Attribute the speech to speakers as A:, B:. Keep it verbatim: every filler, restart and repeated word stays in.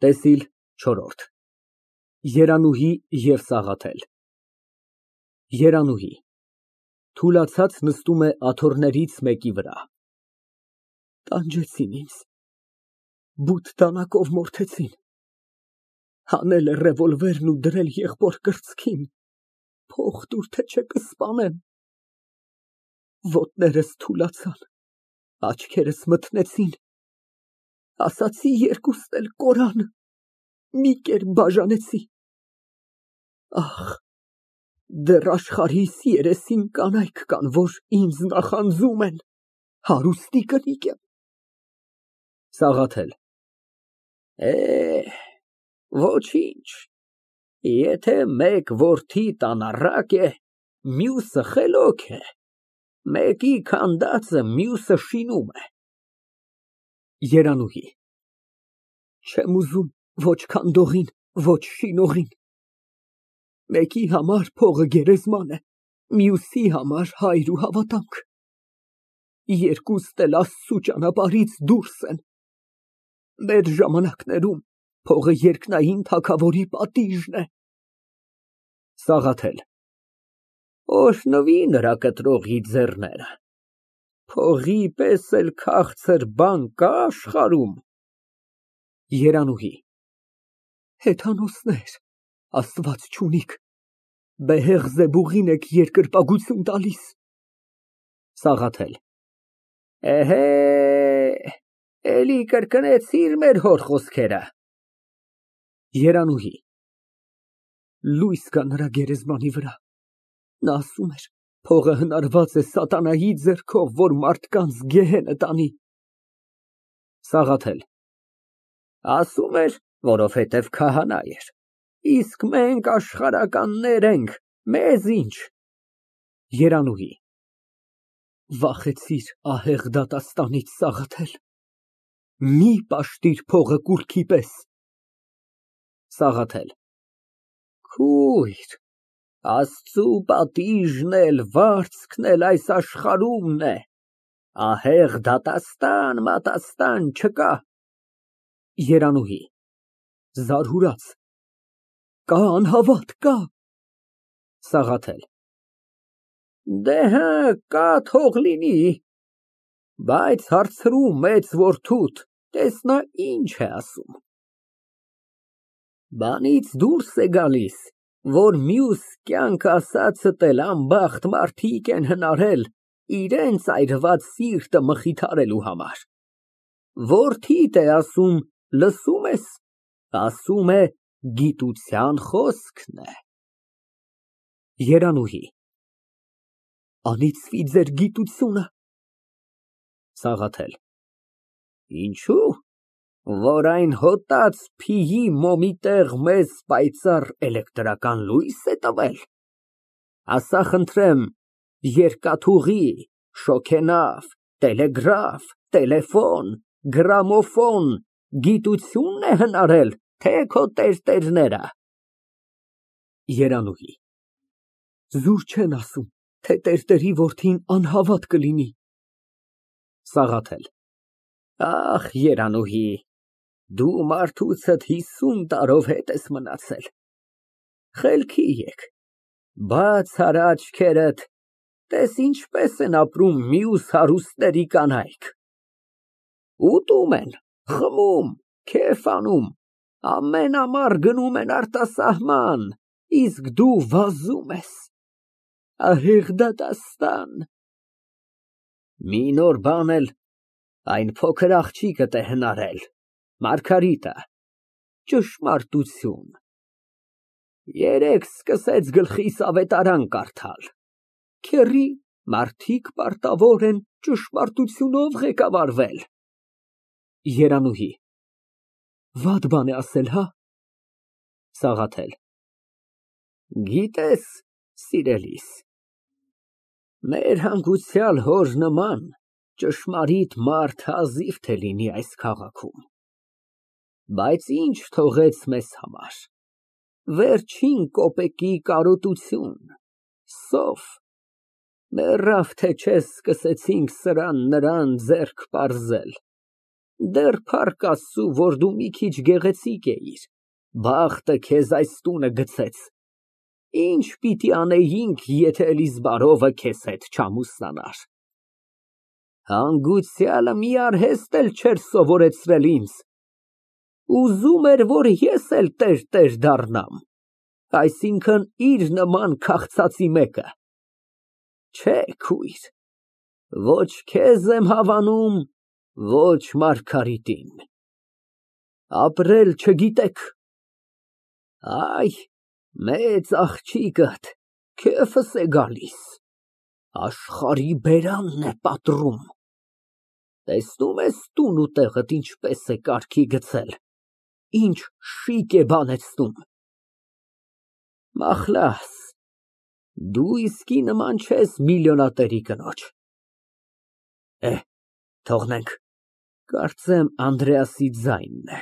A: ՏԵՍԻԼ չորրորդ ԵՐԱՆՈՒՀԻ և ՍԱՂԱԹԵԼ ԵՐԱՆՈՒՀԻ ֊ (Թուլացած նստում է աթոռներից մեկի վրա) Տանջեցին ինձ, բութ դանակով մորթեցին, հանել է ռևոլվերն ու դրել եղբոր կրծքին, փող տուր, թե չէ կսպանեմ, ոտներս թուլացան, աչքերս մթնեցին, ասացի երկուստ էլ կորան, մի կերպ բաժանեցի, ախ, դեռ աշխարհիս երեսին կանայք կան, որ ինձ նախանձում են, հարուստի կնիկ եմ։ ՍԱՂԱԹԵԼ ֊ Է, ոչինչ, եթե մեկ որդիդ անառակ է, մյուսը խելոք է, մեկի քանդածը մյուսը շինում է։ ԵՐԱՆՈՒՀԻ ֊ Չեմ ուզում ոչ քանդողին, ոչ շինողին, մեկի համար փողը գերեզման է, մյուսի համար հայր ու հավատամք, երկուստ էլ Աստծու ճանապարհից դուրս են, մեր ժամանակներում փողը երկնային թագավորի պատիժն է։ ՍԱՂԱԹԵԼ ֊ Օրհնվի նրա կտրողի ձեռները, փողի պես էլ քաղցր բան կա աշխարհում։ ԵՐԱՆՈՒՀԻ ֊ Հեթանոսներ, Աստված չունիք, Բեհեղզեբուղին եք երկրպագություն տալիս։ ՍԱՂԱԹԵԼ ֊ Էհե, էլի կրկնեցիր մեր հոր խոսքերը։ ԵՐԱՆՈՒՀԻ ֊ Լույս գա նրա գերեզմանի վրա, նա ասում էր, փողը հնարված է սատանայի ձեռքով, որ մարդկանց գեհենը տանի։ ՍԱՂԱԹԵԼ ֊ Ասում էր, որովհետև քահանա էր, իսկ մենք աշխարհականներ ենք, մեզ ինչ։ ԵՐԱՆՈՒՀԻ ֊ Վախեցիր ահեղ դատաստանից, Սաղաթել, մի պաշտիր փողը կուռքի պես։ ՍԱՂԱԹԵԼ ֊ Քույր, Աստծու պատիժն էլ, վարձքն էլ այս աշխարհումն է, ահեղ դատաստան֊մատաստան չկա։ ԵՐԱՆՈՒՀԻ ֊ (Զարհուրած) Կա, անհավատ, կա։ ՍԱՂԱԹԵԼ ֊ Դե հը, կա թող լինի, բայց հարցրու մեծ որդուդ, տես նա ինչ է ասում։ Բանից դուրս է գալիս, որ մյուս կյանք ասածդ էլ անբախտ մարդիկ են հնարել իրենց այրված սիրտը մխիթարելու համար։ Որդիդ է ասում, լսո՞ւմ ես, ասում է գիտության խոսքն է։ ԵՐԱՆՈՒՀԻ ֊ Անիծվի ձեր գիտությունը։ ՍԱՂԱԹԵԼ ֊ Ինչո՞ւ, որ այն հոտած փիյի մոմի տեղ մեզ պայծառ էլեկտրական լո՞ւյս է տվել։ Ասա խնդրեմ, երկաթուղի, շոգենավ, տելեգրաֆ, տելեֆոն, գրամոֆոն գիտությո՞ւնն է հնարել, թե քո տերտերները։ ԵՐԱՆՈՒՀԻ ֊ Զուր չեն ասում, թե տերտերի որդին անհավատ կլինի։ ՍԱՂԱԹԵԼ ֊ Ախ, Երանուհի, դու մարդուցդ հիսուն տարով հետ ես մնացել, խելքի եկ, բաց արա աչքերդ, տես ինչպես են ապրում մյուս հարուստների կանայք, ուտում են, խմում, քեֆ անում, ամեն ամառ գնում են արտասահման, իսկ դու վազում ես, ահեղ դատաստան։ Մի նոր բան էլ այն փոքր աղջիկդ է հնարել, Մարգարիտը, ճշմարտություն։ Երեկ սկսեց գլխիս ավետարան կարդալ, քեռի, մարդիկ պարտավոր են ճշմարտությունով ղեկավարվել։ ԵՐԱՆՈՒՀԻ ֊ Վատ բան է ասել, հա։ ՍԱՂԱԹԵԼ ֊ Գիտես, սիրելիս, մեր հանգուցյալ հոր նման ճշմարիտ մարդ հազիվ թե լինի այս քաղաքում, բայց ինչ թողեց մեզ համար, վերջին կոպեկի կարոտություն, սով, մեռավ թե չէ սկսեցինք սրան նրան ձեռք պարզել։ Դեռ փառք Աստծու, որ դու մի քիչ գեղեցիկ էիր, բախտը քեզ այս տունը գցեց, ինչ պիտի անեինք, եթե Էլիզբարովը քեզ հետ չամուսնանար։ Հանգուցյալը մի արհեստ էլ չէր սովորեցրել ինձ, ուզում էր, որ ես էլ տերտեր դառնամ, այսինքն՝ իր նման քաղցածի մեկը։ Չէ, քույր, ոչ քեզ եմ հավանում, ոչ Մարգարիտին, ապրել չգիտեք։ Այ, մեծ աղջիկդ քեֆս է գալիս, աշխարհի բերանն է պատռում, տեսնում ես տուն ու տեղդ ինչպես է կարգի գցել, ինչ շիկ է բանեցնում։ Մախլաս, դու իսկի նման չես միլիոնատերի կնոջ։ Թողնենք, կարծեմ Անդրեասի ձայնն է։